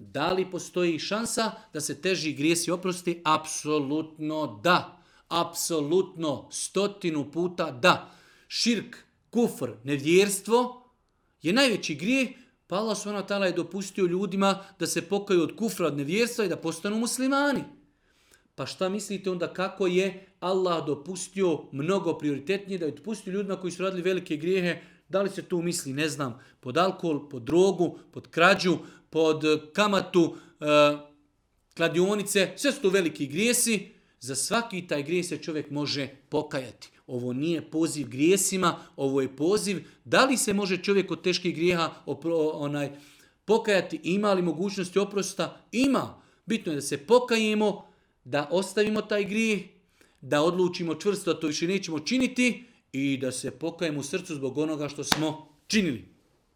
Da li postoji šansa da se teži grijesi oprosti? Apsolutno da. Apsolutno 100 puta da. Širk, kufr, nevjerstvo je najveći grijeh, pa Allah subhanahu wa ta'ala je dopustio ljudima da se pokaju od kufra, od nevjerstva i da postanu muslimani. Pa šta mislite onda kako je Allah dopustio mnogo prioritetnije, da je dopustio ljudima koji su radili velike grijehe? Da li se tu misli, ne znam, pod alkohol, pod drogu, pod krađu, pod kamatu, kladionice, sve su to veliki grijesi. Za svaki taj grijeh se čovjek može pokajati. Ovo nije poziv grijesima, ovo je poziv da li se može čovjek od teških grijeha pokajati, ima li mogućnosti oprosta? Ima. Bitno je da se pokajemo, da ostavimo taj grijeh, da odlučimo čvrsto da to više nećemo činiti i da se pokajemo u srcu zbog onoga što smo činili.